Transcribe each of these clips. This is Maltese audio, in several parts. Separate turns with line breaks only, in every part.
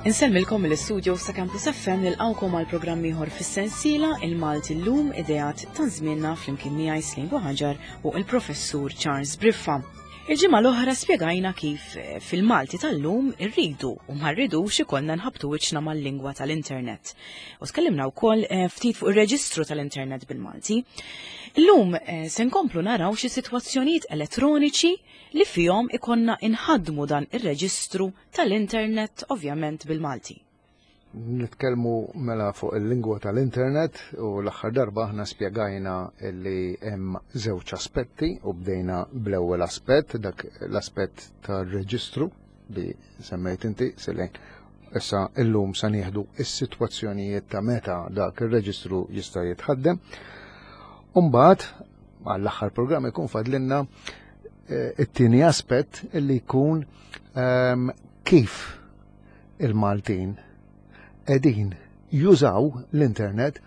Insellmilkom mill-istudio sa' Campus FM nilqawkom għal programm ieħor fis-sensiela Il-Malti llum ideat ta' żmienna flimkien miegħi Slim Buħaġar u il-Professur Charles Briffa. Il-ġimgħa l-oħra spjegajna kif eh, fil-Malti tal-lum irridu u ma rridux ikollna nħabtu wiċċna mal-lingwa tal-internet. U tkellimna wkoll eh, ftit fuq ir-reġistru tal-internet bil-Malti. Illum eh, se nkomplu naraw xi sitwazzjonijiet elettroniċi li fihom ikonna inħaddmu dan ir-reġistru tal-internet ovvjament bil-Malti.
Nitkellmu mela fuq il-lingwa tal-internet u l-aħħar darba aħna spjegajna li hemm żewġ aspetti u bdejna bl-ewwel aspett, dak l-aspett tar-reġistru li semmejt inti Selin. Issa illum sa nieħdu is-sitwazzjonijiet ta' meta dak ir-reġistru jista' jitħaddem. Umbagħad għall-aħħar programm ikun fadlinna eh, it-tieni aspett li jkun ehm, kif il-Maltin qegħdin jużaw l-internet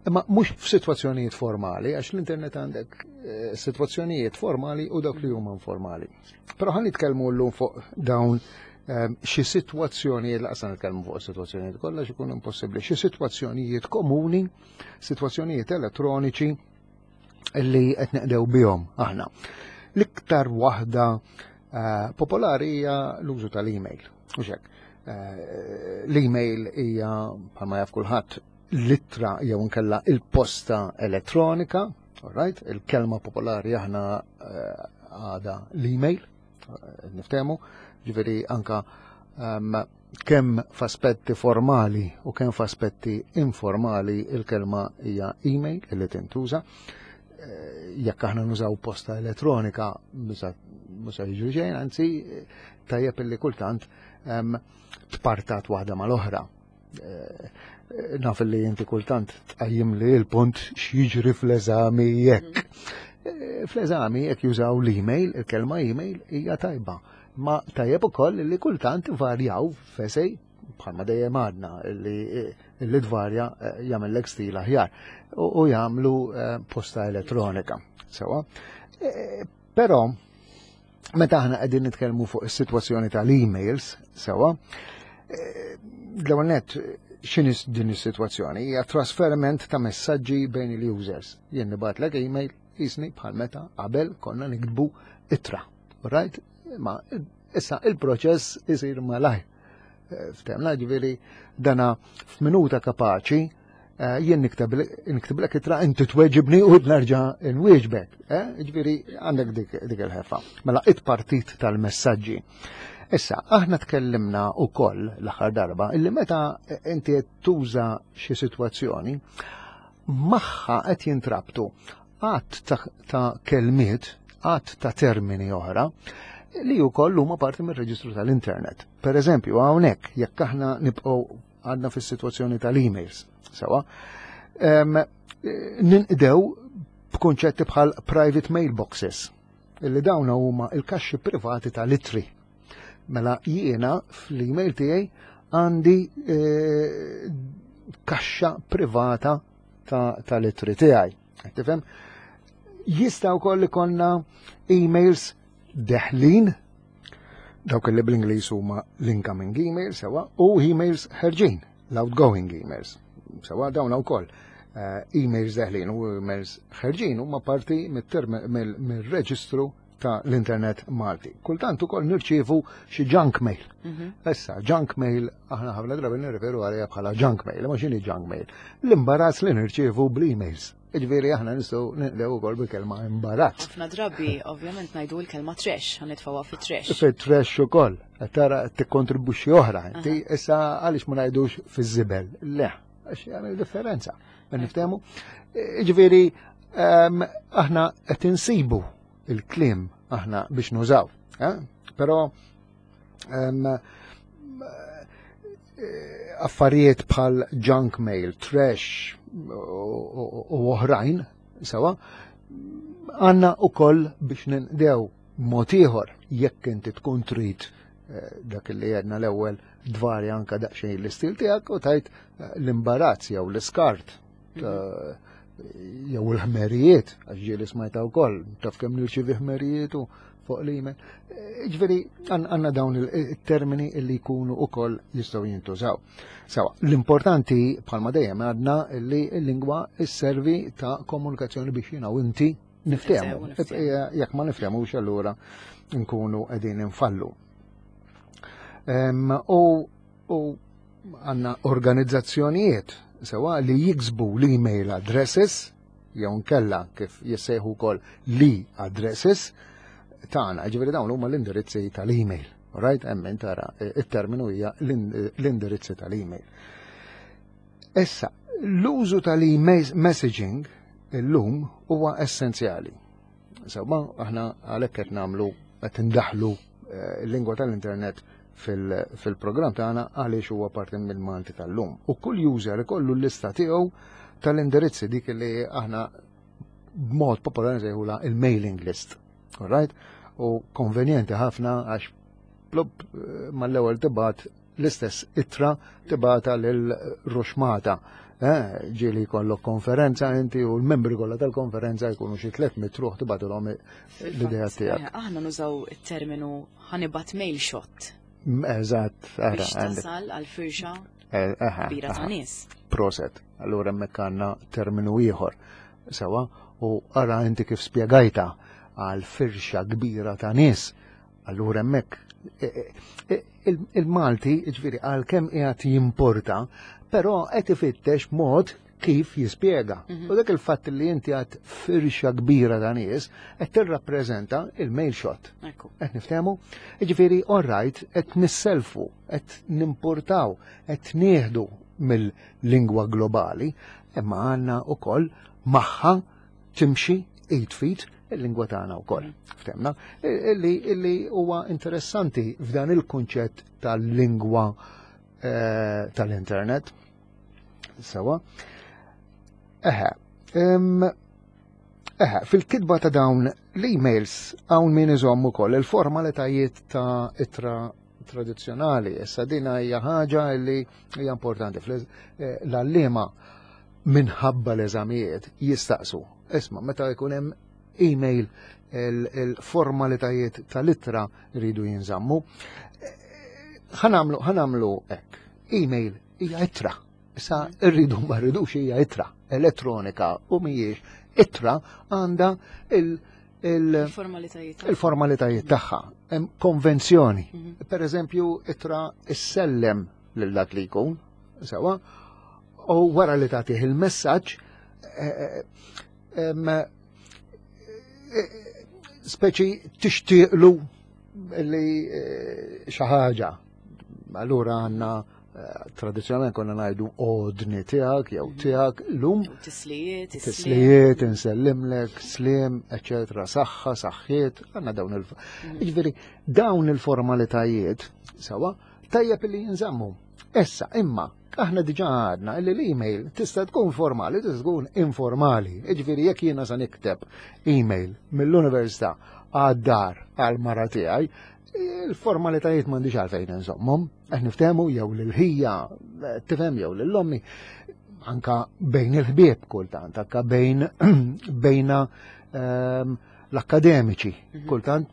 imma mhux f'sitwazzjonijiet formali, għax l-internet għandek eh, sitwazzjonijiet formali u dawk li huma informali. Però ħan nitkellmu llum fuq dawn ehm, xi sitwazzjonijiet, laqsa nitkellmu fuq sitwazzjonijiet kollha x'ikun impossibbli, xi sitwazzjonijiet komuni, sitwazzjonijiet elettroniċi li qed neqdew bihom aħna. L-iktar waħda eh, popolari hija l-użu tal-email. U xek, eh, l-email hija bħalma jaf kulħadd l-ittra jew inkella il-posta elettronika, all right? Il-kelma popolari aħna eh, għada l-email, niftehmu, ġifieri anka um, kemm f'aspetti formali u kemm f'aspetti informali il-kelma hija email li tintuża. Eh, jekk aħna nużaw posta elettronika mhux jiġri xejn, anzi tajjeb illi kultant ehm, tpartat waħda mal-oħra. Eh, naf li inti kultant tqajjim li l-punt x'jiġri fl-eżami jekk. Eh, fl-eżami jekk jużaw l-email, il-kelma email hija tajba. Ma tajjeb ukoll li kultant varjaw f'esej bħalma dejjem għadna li li tvarja eh, jagħmellek stil aħjar u jagħmlu eh, posta elettronika. Sewa. Eh, però meta aħna qegħdin nitkellmu fuq is-sitwazzjoni tal-emails, sewa, l-ewwel nett x'inhi din is-sitwazzjoni? Hija trasferiment ta' messaġġi bejn il-users. Jien nibgħatlek email jisni bħal meta qabel konna niktbu ittra. Right? Ma issa il-proċess isir malajr. Eh, Ftemna ġifieri dana f'minuta kapaċi eh, jien niktiblek itra inti tweġibni u nerġa' nwieġbek. Eh, ġifieri għandek dik il-ħefa. Mela it-partit tal-messaġġi. Issa, aħna tkellimna wkoll l-aħħar darba illi meta inti qed tuża xi sitwazzjoni, magħha qed jintrabtu għadd ta' kelmiet, għadd ta' termini oħra li wkoll huma parti mir-reġistru tal-internet. Per eżempju, hawnhekk jekk aħna nibqgħu għadna fis-sitwazzjoni tal-emails, sewa, ninqdew b'kunċetti bħal private mailboxes, illi dawn huma il-kaxxi privati tal-itri. Mela jiena fl-email tiegħi għandi eh, kaxxa privata tal-itri tiegħi. Tifhem? Jista' wkoll ikollna emails deħlin dawk li bl-Ingliż huma l-incoming emails sewa u emails ħerġin, l-outgoing emails. Sewa dawn wkoll eh, emails deħlin u emails ħerġin huma parti mir-reġistru ta' l-internet Malti. Kultant ukoll nirċievu xi junk mail. Mhm. Issa, junk mail aħna ħafna drabi nirreferu għaliha bħala junk mail, ma x'inhi junk mail? L-imbarazz li nirċievu bl-emails. Iġveri aħna nistgħu ninqdew ukoll bil-kelma imbarazz.
Ħafna drabi ovvjament ngħidu l-kelma trash, ħanitfgħuha fit-trash.
Fit-trash ukoll, tara tikkontribwixxi oħra. Inti issa għaliex ma ngħidux fiż-żibel? Le, għax jagħmel differenza. Niftehmu? Iġveri ehm, aħna qed insibu il-kliem aħna biex nużaw. Eh? Però ehm, eh, affarijiet bħal junk mail, trash u oħrajn, sewa, għanna u koll biex ninqdew mod ieħor jekk inti tkun trid eh, dak li għedna l-ewwel dvarja anka daqsxejn l-istil tiegħek u tajt l-imbarazz jew l-iskart jew il-ħmerijiet, għax ġieli smajta wkoll, taf kemm nirċievi ħmerijiet u fuq l-email. Ġifieri għandna dawn il-termini li jkunu ukoll jistgħu jintużaw. Sawa, l-importanti bħalma dejjem għadna li l-lingwa sservi ta' komunikazzjoni biex jiena u inti niftehmu. Jekk ma niftehmux allura nkunu qegħdin infallu. U għandna organizzazzjonijiet sewa li jiksbu l-email addresses jew nkella kif jissejħu wkoll li addresses tagħna, ġifieri dawn huma l-indirizzi tal-email. Right? Hemm tara it-terminu hija l-indirizzi tal-email. Issa, l-użu tal-email messaging illum huwa essenzjali. Sewwa, aħna għalhekk qed nagħmlu qed indaħlu l-lingwa tal-internet fil-programm tagħna għaliex huwa parti mill-Malti tal-lum. U kull user ikollu l-lista tiegħu tal-indirizzi dik li aħna b'mod popolari nsejħula il-mailing list. Alright? U konvenjenti ħafna għax plop mal-ewwel tibgħat l-istess ittra tibgħatha lil ruxmata. Ġieli jkollok konferenza inti u l-membri kollha tal-konferenza jkunu xi 300 ruħ tibgħatulhom l-idea tiegħek.
Aħna nużaw it-terminu ħa nibgħat mail shot.
Eżatt,
ara. Biex tasal għal firxa kbira ta' nies.
Proset, allura hemmhekk għandna terminu ieħor. Sewa, u ara inti kif spjegajta għal firxa kbira ta' nies. Allura hemmhekk il-Malti, ġifieri għalkemm qiegħed jimporta, però qed ifittex mod kif jispjega. U dak il-fatt li inti għad firxa kbira ta' nies qed tirrappreżenta il-mail shot. Qed niftehmu? Ġifieri, all right, qed nisselfu, qed nimportaw, qed nieħdu mill-lingwa globali, imma għandna wkoll magħha timxi id fit il-lingwa tagħna wkoll. Ftemna? Illi huwa interessanti f'dan il-kunċett tal-lingwa tal-internet. Sewa. Eħe, eħe, fil-kitba ta' dawn l-emails hawn min iżomm ukoll il-formalitajiet ta' ittra tradizzjonali. Issa dina hija ħaġa li hija importanti. L-għalliema minħabba l-eżamijiet jistaqsu. Isma' meta jkun hemm email il-formalitajiet tal-ittra rridu jinżammu. Ħa nagħmlu hekk. Email hija ittra. Issa rridu ma rridux hija ittra elettronika u mhijiex ittra għandha
il-formalitajiet
il-formalitajiet tagħha. Hemm konvenzjoni. Per eżempju, ittra issellem lil dak li jkun, sewa, u wara li tagħtih il-messaġġ speċi tixtieqlu li xi ħaġa. Allura għandna tradizzjonalment konna ngħidu ordni tiegħek jew tiegħek lum
tislijiet,
tislijiet, insellimlek, slim, eccetera, saħħa, saħħiet, għandna dawn il Ġifieri dawn il-formalitajiet sewa tajjeb li jinżammu. Issa, imma, aħna diġà għadna li l-email tista' tkun formali, tista' tkun informali. Ġifieri jekk jiena sa nikteb email mill-università għad-dar għal-mara tiegħi, il-formalitajiet m'għandix għalfejn nżommhom, qed niftehmu jew lil-ħija, tifhem jew lil-ommi, anka bejn il-ħbieb kultant, anka bejn bejna l-akademiċi, kultant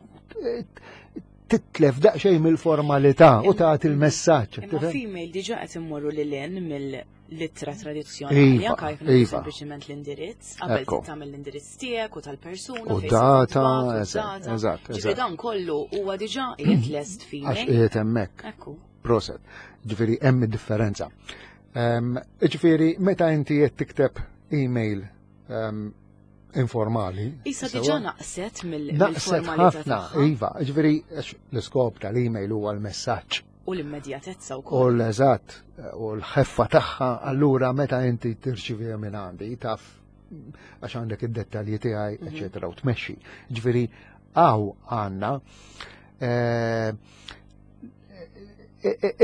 titlef daqsxejn mill-formalità u tagħti il-messaġġ.
Imma f'email diġà qed immorru lil hinn mill-ittra tradizzjonali, anke jekk sempliċement l-indirizz, qabel tagħmel l-indirizz tiegħek u tal-persuna.
U data, eżatt.
Ġifieri dan kollu huwa diġà qiegħed lest f'email.
Għax qiegħed hemmhekk. Proset. Ġifieri hemm id-differenza. Ġifieri meta inti qed tikteb email informali.
Issa diġà naqset
Naqset
mill-formalità
ħafna, iva, ġifieri l-iskop tal-email huwa l-messaġġ.
U l-immedjatezza
U
wkoll.
l-eżatt, u l-ħeffa tagħha, allura meta inti tirċivi minn għandi, taf għax għandek id-dettalji tiegħi, eċetera, u tmexxi. Ġifieri hawn għandna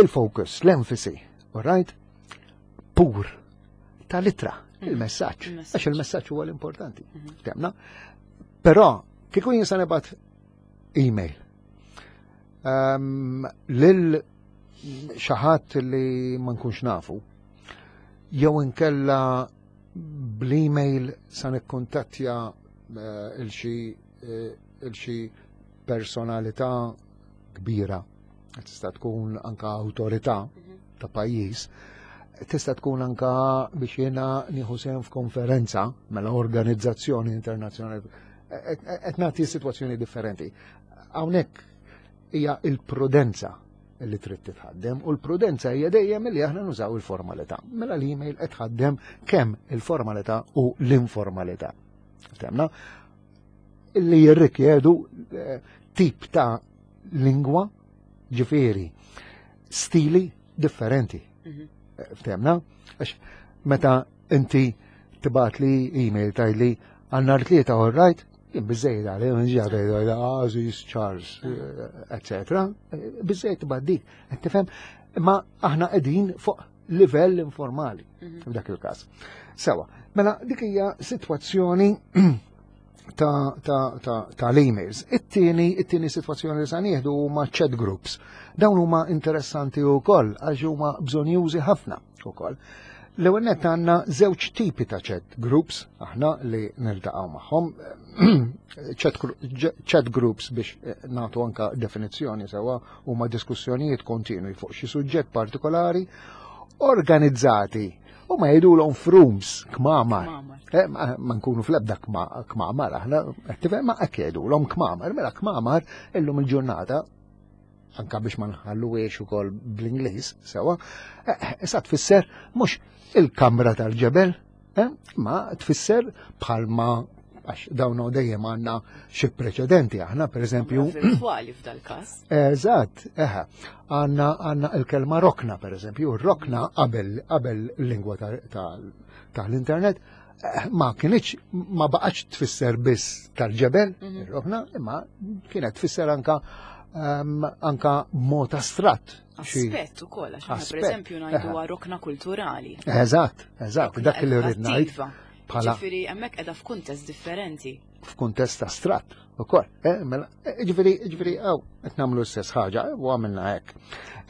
il-focus, l-enfasi, all right? Pur tal-ittra, il-messaġġ.
Il-messaġġ.
Għax il-messaġġ huwa l-importanti. Temna? Però, kieku jien sa nibgħat email lil xi ħadd li ma nkunx nafu, jew inkella bl-email sa nikkuntattja il-xi il-xi personalità kbira, tista' tkun anka awtorità ta' pajjiż, tista' tkun anka biex jiena nieħu sehem f'konferenza mela organizzazzjoni internazzjonali qed nagħti sitwazzjoni differenti. Hawnhekk hija il-prudenza li trid titħaddem u l-prudenza hija dejjem li aħna nużaw il-formalità. Mela l-email qed tħaddem kemm il-formalità u l-informalità. Temna? Li jirrikjedu eh, tip ta' lingwa ġifieri stili differenti. Mhm. Eh, Ftemna? Għax meta inti tibat li email tajli għannar tlieta all right, jien bizzejt għalli, nġi għalli, Aziz, Charles, etc. Eh, bizzejt tibat dik, tifhem, imma aħna qegħdin fuq livell informali mhm. f'dak il-każ. Sewa, mela dik hija sitwazzjoni ta', ta, ta, ta l-emails. It-tieni, it-tieni sitwazzjoni li sa nieħdu huma chat groups. Dawn huma interessanti wkoll għax huma bżonjużi ħafna ukoll. L-ewwel nett għandna żewġ tipi ta' chat groups aħna li niltaqgħu magħhom. Chat groups biex eh, nagħtu anka definizzjoni sewwa huma diskussjonijiet kontinwi fuq xi suġġett partikolari organizzati u ma jgħidulhom frooms kmamar. Eh, ma nkunu fl-ebda kmamar aħna, ma hekk jgħidulhom kmamar, mela kmamar illum il-ġurnata anka biex ma nħalluwiex ukoll bl-Ingliż sewa, eh, issa tfisser mhux il-kamra tal-ġebel, eh, ma tfisser bħalma għax dawn dejjem għandna xi preċedenti aħna pereżempju.
Virtuali f'dal-każ.
Eżatt, eħe. Għandna għandna l-kelma rokna pereżempju, rokna qabel qabel l-lingwa tal-internet eh, ma kienx ma baqgħetx tfisser biss tal-ġebel, mhm. ir-rokna, imma kienet tfisser anka ehm, anka mod astratt.
Aspett ukoll, għax pereżempju ngħidu rokna kulturali.
Eżatt, eżatt, dak li rrid ngħid.
Bħala. Ġifieri hemmhekk qiegħda f'kuntest differenti.
F'kuntest astratt ukoll. Eh, mela, eh, ġifieri, ġifieri, għaw, qed nagħmlu l-istess ħaġa u għamilna hekk.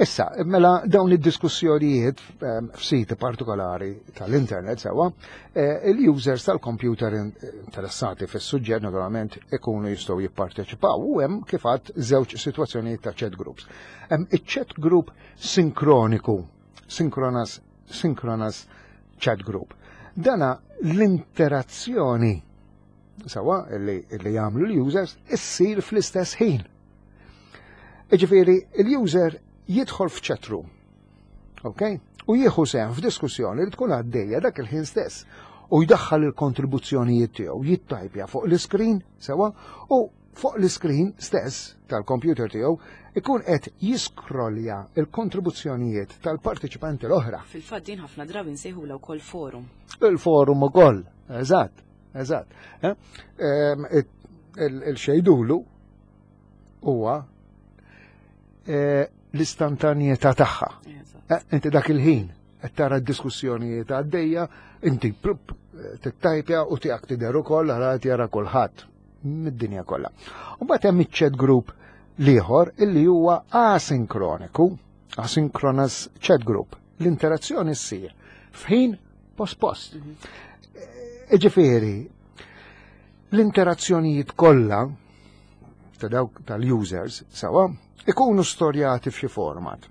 Issa, mela dawn id-diskussjonijiet ehm, f'siti partikolari tal-internet sewwa, eh, il-users tal-computer interessati fis-suġġett naturalment ikunu jistgħu jipparteċipaw u hemm kif għadd żewġ sitwazzjonijiet ta' chat groups. Hemm iċ-chat group sinkroniku, synchronous synchronous chat group. Dana l-interazzjoni sawa li, li jagħmlu l-users issir fl-istess ħin. Iġifieri il-user jidħol f'chat room, ok? U jieħu sehem f'diskussjoni li tkun għaddejja dak il-ħin stess u jdaħħal il-kontribuzzjonijiet tiegħu, jittajpja fuq l-iskrin sewa u fuq l-iskrin stess tal-kompjuter tiegħu ikun qed jiskrollja l-kontribuzzjonijiet tal-partiċipanti l-oħra.
Fil-fatt din ħafna drabi nsejħulha wkoll forum.
Il-forum ukoll, eżatt, eżatt. Eh? Ehm, il-xejdulu huwa eh, l-istantanjetà tagħha. Eh, inti dak il-ħin qed tara d-diskussjonijiet għaddejja, inti tittajpja u tiegħek tidher ukoll għara jara kulħadd mid-dinja kollha. U mbagħad hemm iċ-chat group l-ieħor illi huwa asinkroniku, asynchronous chat group. L-interazzjoni ssir f'ħin post-post. Mhm. Ġifieri, l-interazzjonijiet kollha ta' dawk tal-users sawa ikunu storjati f'xi format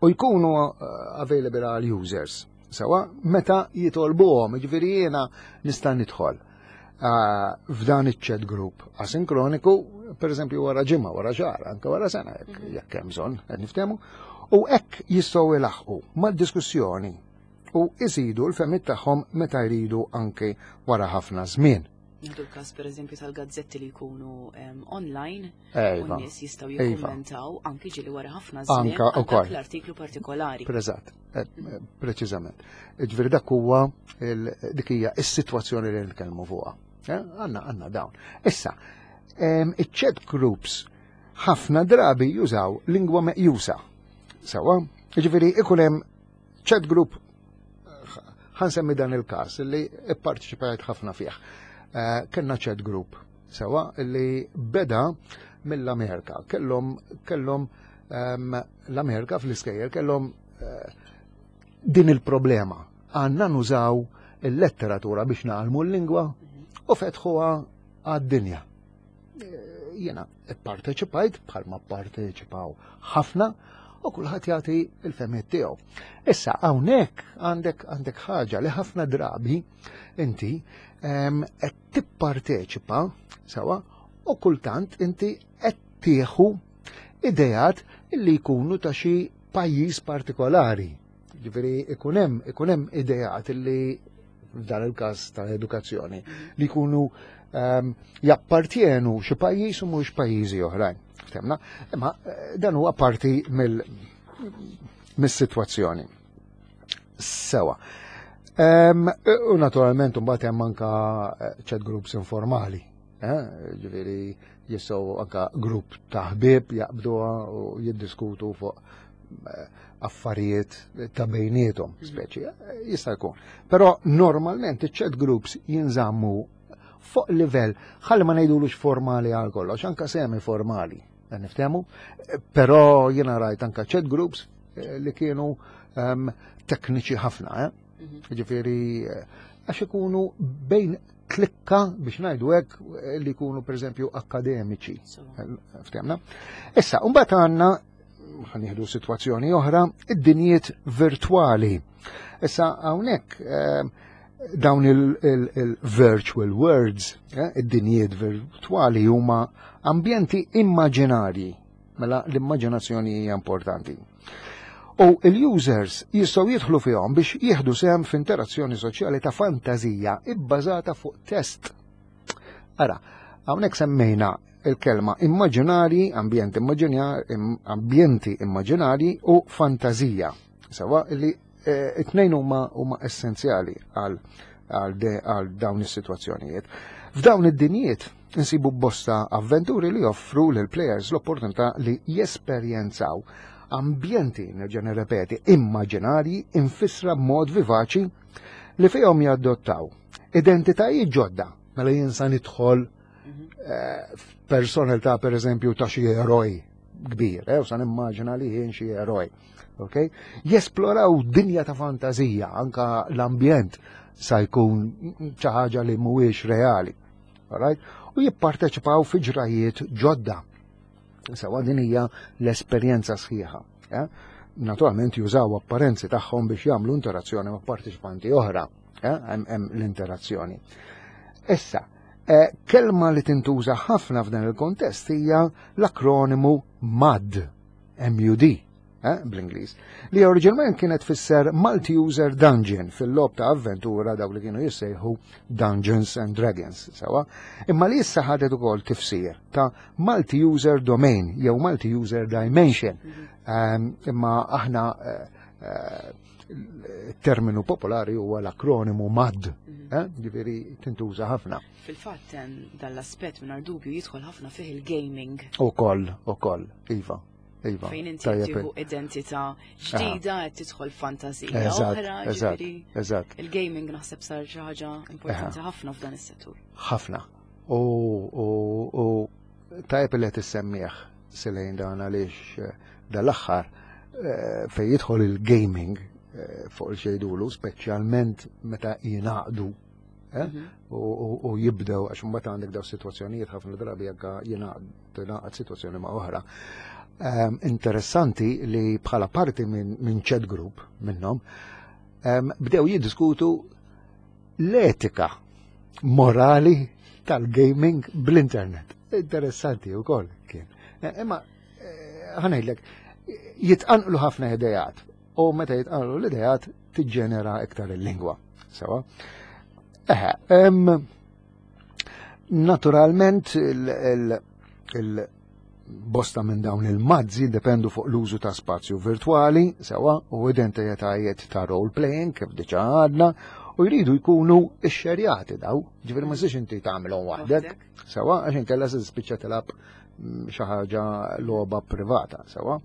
u jkunu eh, available għal users sawa meta jitolbuhom, ġifieri jiena nista' nidħol eh, f'dan iċ-chat group asinkroniku, per eżempju wara ġimgħa, wara xahar, anke wara sena jekk mhm. jekk hemm bżonn qed niftehmu, u hekk jistgħu ilaħqu mad-diskussjoni u jżidu l-fehmiet tagħhom meta jridu anke wara ħafna żmien.
Nieħdu l-każ pereżempju tal-gazzetti li jkunu online u n-nies jistgħu iva. jikkummentaw anki ġieli wara ħafna żmien
anka ukoll
l-artiklu partikolari.
Preżatt, eh, eh, preċiżament. Ġifieri dak huwa dik hija s-sitwazzjoni li nitkellmu fuqha. Eh, għandna għandna dawn. Issa, iċ-chat groups ħafna drabi jużaw lingwa meqjusa. Sawa, ġifieri ikun hemm Chat group ħansemmi dan il-każ li pparteċipajt ħafna fih. Eh, kellna chat group sewa li beda mill-Amerika. Kellhom kellhom ehm, l-Amerika fl-iskejjel kellhom eh, din il-problema. Għandna nużaw il-letteratura biex nagħlmu l-lingwa u fetħuha għad-dinja. Jiena pparteċipajt bħalma pparteċipaw ħafna u kulħadd jagħti l-fehmiet tiegħu. Issa hawnhekk għandek għandek ħaġa li ħafna drabi inti qed tipparteċipa sewa u kultant inti qed tieħu ideat li jkunu ta' xi pajjiż partikolari. Ġifieri ikun hemm ikun hemm ideat li f'dan il-każ ta' edukazzjoni li jkunu jappartjenu xi pajjiż u mhux pajjiżi oħrajn. Ftemna? Imma eh, dan huwa parti mill mis-sitwazzjoni. Sewa. U naturalment mbagħad hemm anka eh, chat groups informali. Eh? Ġifieri jistgħu anka grupp ta' ħbieb jaqbduha u jiddiskutu fuq eh, affarijiet ta' bejnietom, mhm. speċi, jista' jkun. Però normalment iċ-chat groups jinżammu fuq livell, ħalli ma ngħidulux formali għal kollox, anka semi formali, niftehmu, però jiena rajt anka chat groups eh, li kienu um, tekniċi ħafna, eh? Mhm. Ġifieri eh, għax ikunu bejn klikka biex ngħidu hekk li jkunu pereżempju akademiċi. Ftemna. Issa, mbagħad għandna ħanieħdu sitwazzjoni oħra, id-dinjiet virtwali. Issa hawnhekk eh, dawn il-virtual worlds, eh, id-dinjiet virtwali huma ambjenti immaġinarji, mela l-immaġinazzjoni hija importanti. U il-users jistgħu jidħlu fihom biex jieħdu sehem f'interazzjoni soċjali ta' fantażija ibbażata fuq test. Ara, hawnhekk semmejna il-kelma immaġinari, ambjent ambjenti immaġinari u fantazija. Sewa li eh, it-tnejn huma huma essenzjali għal għal dawn is-sitwazzjonijiet. F'dawn id-dinjiet insibu bosta avventuri li joffru lil players l-opportunità li jesperjenzaw ambjenti, nerġa' nirrepeti, immaġinarji infissra b'mod vivaċi li fihom jadottaw identitajiet ġodda mela jien sa nidħol eh, f'personalità per eżempju ta' xi eroj kbir, eh, u sa nimmaġina li jien xi eroj. Okay? Jesploraw dinja ta' fantazija, anka l-ambjent sa jkun xi ħaġa li mhuwiex reali. Alright? U jipparteċipaw fi ġrajiet ġodda. Sewa din hija l-esperjenza sħiħa. Eh? Naturalment jużaw apparenzi tagħhom biex jagħmlu interazzjoni ma' partiċipanti oħra. Eh? Hemm l-interazzjoni. Issa, eh, kelma li tintuża ħafna f'dan il-kontest hija l-akronimu MUD, MUD, eh, bl-Ingliż, li oriġinalment kienet tfisser Multi-User Dungeon fil-lob ta' avventura dawk li kienu jissejħu Dungeons and Dragons, sewa, imma li issa ħadet ukoll tifsir ta' Multi-User Domain jew Multi-User Dimension. Ehm, imma aħna eh, eh, terminu popolari huwa l-akronimu MAD, mhm. eh, ġifieri tintuża ħafna.
Fil-fatt dan l-aspett mingħajr dubju jidħol ħafna fih il-gaming.
Ukoll, ukoll, iva. Iva.
Fejn inti tieħu identità ġdida qed tidħol fantazija oħra, ġifieri.
Eżatt.
Il-gaming naħseb sar xi ħaġa importanti ħafna f'dan is-settur.
Ħafna. U tajjeb li qed issemmih silejn dan għaliex eh, dal-aħħar eh, fejn jidħol il-gaming eh, fuq il-xejdulu, speċjalment meta jingħaqdu eh? Mhm. u jibdew għax mbagħad għandek daw sitwazzjonijiet ħafna drabi anke jingħaqad sitwazzjoni ma' oħra. Ehm, interessanti li bħala parti minn chat group minnhom ehm, bdew jiddiskutu l-etika morali tal-gaming bl-internet. Interessanti u koll kien. Eh, imma eh, ħanajdlek, jitqanqlu ħafna idejat u meta jitqanqlu l-idejat tiġġenera iktar il-lingwa. Sewa. Eħe, naturalment il-bosta minn dawn il-mazzi dependu fuq l-użu ta' spazju virtuali, sewa, u identitajiet ta' role-playing, kif diġa għadna, u jridu jkunu xxerjati daw, ġifieri ma inti tagħmilhom waħdek, sewa, għax inkella se tispiċċa tilgħab mm, xi ħaġa logħba privata, sewa.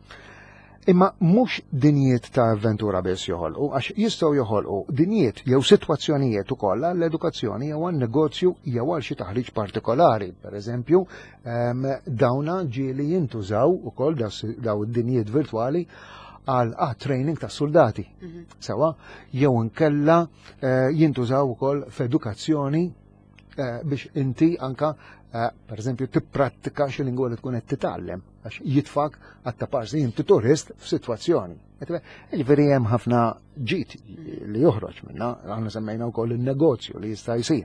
Imma mhux dinjiet ta' avventura biss joħolqu, għax jistgħu joħolqu dinjiet jew sitwazzjonijiet ukoll għall-edukazzjoni jew għan-negozju jew għal xi taħriġ partikolari. Per eżempju, ehm, dawna ġieli jintużaw ukoll daw id-dinjiet virtwali għal ah, training ta' soldati. Mhm. Sewa, jew inkella eh, jintużaw ukoll f'edukazzjoni eh, biex inti anka Per eżempju, tipprattika xi lingwa li tkun qed titgħallem għax jitfak għat-taparsi inti turist f'sitwazzjoni. Ġifieri hemm ħafna ġid li joħroġ minna, aħna semmejna wkoll in-negozju li jista' jsir.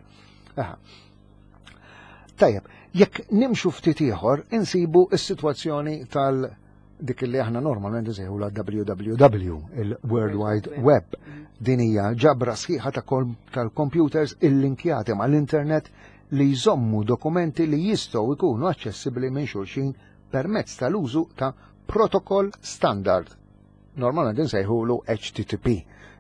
Tajjeb, jekk nimxu ftit ieħor insibu s-sitwazzjoni tal- dik li aħna normalment nsejħu la WWW, il-World Wide Web. Din hija ġabra sħiħa tal-computers illinkjati mal-internet li jżommu dokumenti li jistgħu jkunu aċċessibbli minn xulxin permezz tal-użu ta' protokoll standard. Normalment insejħulu HTTP,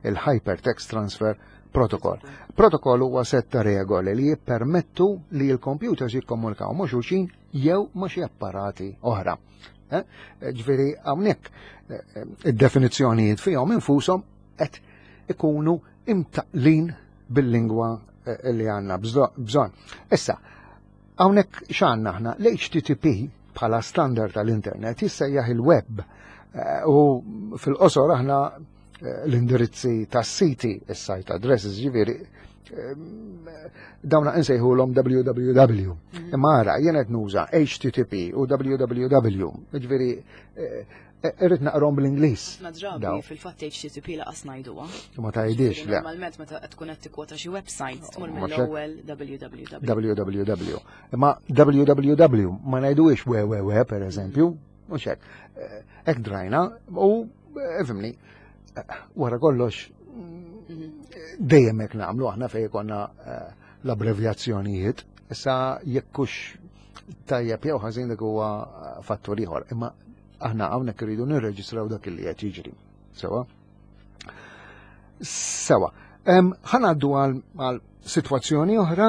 il-Hypertext Transfer Protocol. Protokoll huwa set ta' regoli li jippermettu li l-computers jikkomunikaw ma' xulxin jew ma' xi apparati oħra. Eh? Ġifieri hawnhekk eh, id-definizzjonijiet fihom infushom qed ikunu imtaqlin bil-lingwa eh, li għandna bżonn. Issa, hawnhekk x'għandna aħna l-HTTP bħala standard tal-internet jissejjaħ il-web eh, u fil-qosor aħna eh, l-indirizzi tas-siti, is-site addresses ġifieri dawna insejħulhom www. Mhm. Imma ara, jien qed nuża HTTP u www. Ġifieri Eh, irrid naqrom bl-Ingliż.
Ma drabi fil-fatt HTTP laqas ngħiduha.
Ma tgħidix
le. Normalment meta tkun qed tikkwota xi website tmur mill-ewwel www.
www. Imma www ma ngħiduhiex www per eżempju, mhux hekk. Eh, hekk drajna u eh, fimni wara kollox mhm. dejjem hekk nagħmlu aħna fejn konna l-abbrevjazzjonijiet. Issa jekkux tajjeb jew ħażin dik huwa fattur ieħor, imma Aħna hawnhekk irridu nirreġistraw dak li qed jiġri. Sewa? Sewa. Ħanaddu għal sitwazzjoni oħra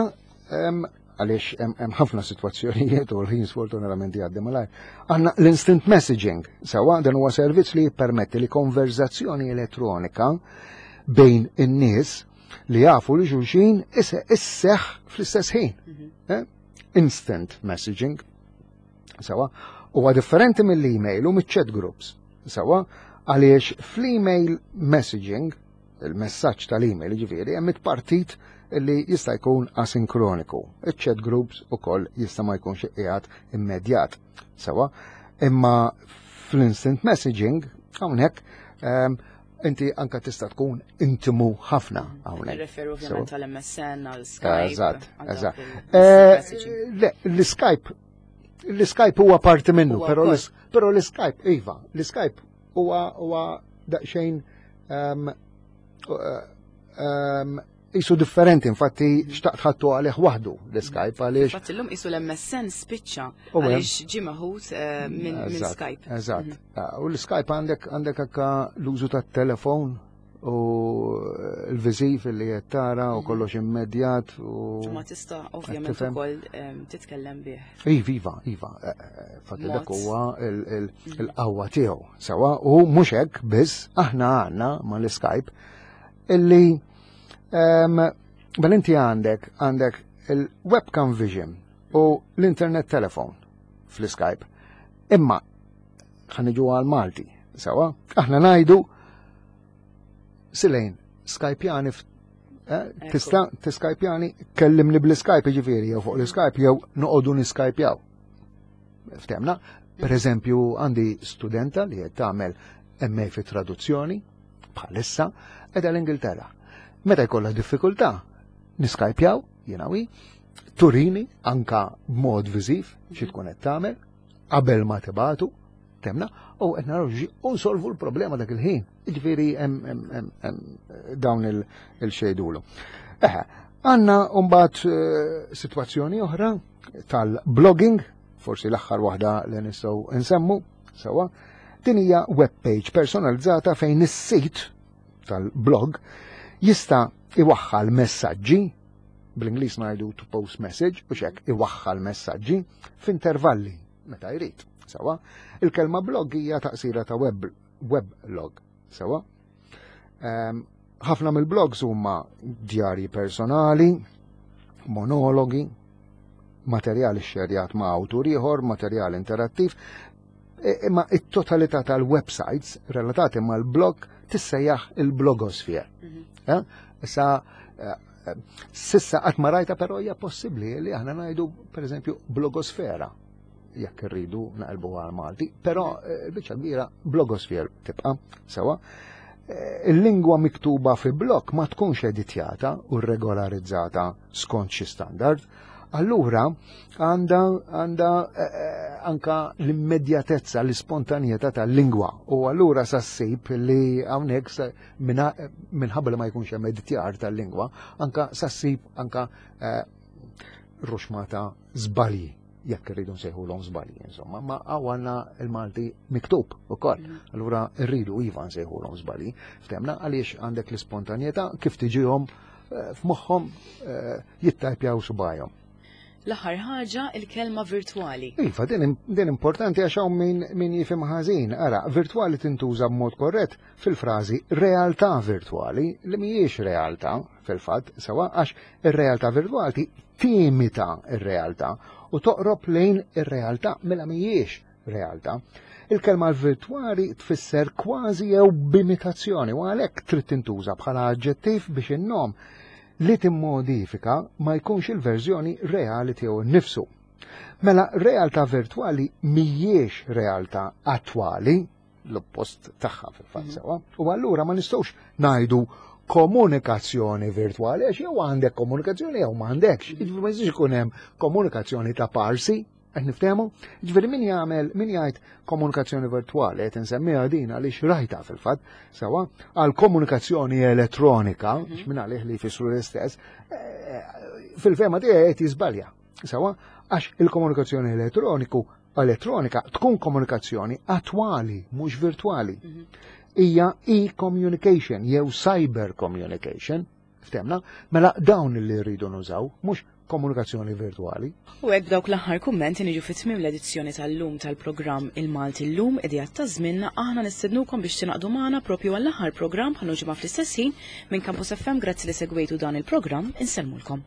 għaliex hemm ħafna sitwazzjonijiet u l-ħin sfortunatament jgħaddi malajr. Għandna l-instant messaging, sewa dan huwa servizz li jippermetti li konverzazzjoni elettronika bejn in-nies li jafu li xulxin isseħ fl-istess ħin. Mhm. Eh? Instant messaging. Sewa, huwa differenti mill-email u mill-chat groups. Sewa, għaliex fl-email messaging, il-messaġġ tal-email ġifieri, hemm it-partit li jista' jkun asinkroniku. Il-chat groups ukoll jista' ma jkunx qiegħed immedjat. Sewa, imma fl-instant messaging hawnhekk ehm, inti anka tista' tkun intimu ħafna hawnhekk.
Referu ovvjament għal-MSN, għal-Skype.
Eżatt, eżatt. Eh, l-Skype L-Skype huwa parti minnu, però l-Skype, iva, l-Skype huwa huwa daqsxejn ehm, ehm, jisu differenti, infatti xtaqt ħattu għalih waħdu l-Skype għaliex.
Infatti l-lum jisu l-MSN spiċċa għaliex ġie maħut eh, minn Skype.
Eżatt. Mhm. Ah, u l-Skype għandek għandek anka l-użu tat-telefon u l-viżiv li qed tara u mhm. kollox immedjat u.
Ma tista' ovvjament ukoll ehm, titkellem bih.
Iva, iva, iva. Eh, eh, fatti dak huwa mhm. il-qawwa tiegħu. Sewa u mhux hekk biss aħna għandna mal-Skype illi ehm, bel inti għandek għandek il-webcam vision u l-internet telefon fl-Skype. Imma ħaniġu għal Malti, sewa, aħna ngħidu Silejn, Skypjani eh, tista' tiskajpjani kellimni bl-Skype ġifieri jew fuq l-Skype jew noqogħdu niskajpjaw. Ftemna, per eżempju għandi studenta li qed tagħmel MA fi traduzzjoni bħalissa qiegħda l-Ingilterra. Meta jkollha diffikultà, niskajpjaw, jiena wi, turini anka b'mod viżiv xi tkun qed tagħmel qabel ma tibatu, temna, u qed naraw u nsolvu l-problema dak il-ħin. Jiġifieri hemm dawn il-xejdulu. Eħe, għandna mbagħad eh, sitwazzjoni oħra tal-blogging, forsi l-aħħar waħda li nistgħu nsemmu sewwa. Din hija web page personalizzata fejn is-sit tal-blog jista' iwaħħal messaġġi bl-Ingliż ngħidu to post message u xek iwaħħal messaġġi f'intervalli meta jrid. Sewa, il-kelma blog hija taqsira ta' web weblog. Sewa. Ehm, ħafna mill-blogs huma djarji personali, monologi, materjali xerjat ma' awtur ieħor, materjal interattiv, e, imma it-totalità tal-websites relatati mal-blog tissejjaħ il-blogosphere. Mhm. Eh? Issa eh, Sissa qatt ma rajta però hija possibbli li aħna ngħidu pereżempju blogosfera jekk irridu naqilbu għal Malti, però eh, biċċa kbira blogosfer tibqa' sewa. Eh, il-lingwa miktuba fi blog ma tkunx editjata u regolarizzata skont xi standard, allura għandha għandha eh, eh, anka l-immedjatezza, l-ispontanjetà tal-lingwa u allura sa ssib li hawnhekk minħabba li ma jkunx hemm editjar tal-lingwa, anka sa ssib anka eh, ruxmata żbalji jekk irridu nsejħulhom żbalji, insomma, ma għandna il-Malti miktub ukoll. Allura rridu iva nsejħulhom żbalji. Ftemna għaliex għandek l-ispontanjetà kif tiġihom f'moħħhom jittajpjaw subajhom.
L-aħħar ħaġa il-kelma virtwali.
Iva, din importanti għax hawn min, min jifhem ħażin. Ara, virtwali tintuża b'mod korrett fil-frażi realtà virtwali li mhijiex realtà fil-fatt sewa għax ir-realtà virtwali timita ir-realtà u toqrob lejn ir-realtà mela mhijiex realtà. Il-kelma virtwali tfisser kważi jew b'imitazzjoni u għalhekk trid tintuża bħala aġġettiv biex in-nom li timmodifika ma jkunx il-verżjoni reali tiegħu nnifsu. Mela realtà virtwali mhijiex realtà attwali, l-oppost tagħha fil-fatt sewa, u allura ma nistgħux ngħidu komunikazzjoni virtwali għax jew għandek komunikazzjoni jew m'għandekx. Jiġifieri ma jistax ikun hemm komunikazzjoni ta' parsi, qed niftehmu? Jiġifieri min jagħmel min jgħid komunikazzjoni virtwali qed insemmiha din għaliex rajta fil-fatt sewa għal komunikazzjoni elettronika, mm min għalih li jfissru l-istess, eh, fil-fema tiegħi qed jiżbalja. Sewa għax il-komunikazzjoni elettroniku elettronika tkun komunikazzjoni attwali, mhux virtwali. Mhm. Hija e-communication jew cyber communication, ftemna, mela dawn li rridu nużaw, mhux komunikazzjoni virtwali.
U hekk dawk l-aħħar kummenti niġu fi tmiem l-edizzjoni tal-lum tal-programm Il-Malti llum idejat ta' żmienna aħna nistednukom biex tingħaqdu magħna propju għall-aħħar programm bħal ġimgħa fl-istess ħin minn Campus FM grazzi li segwejtu dan il-programm insellmulkom.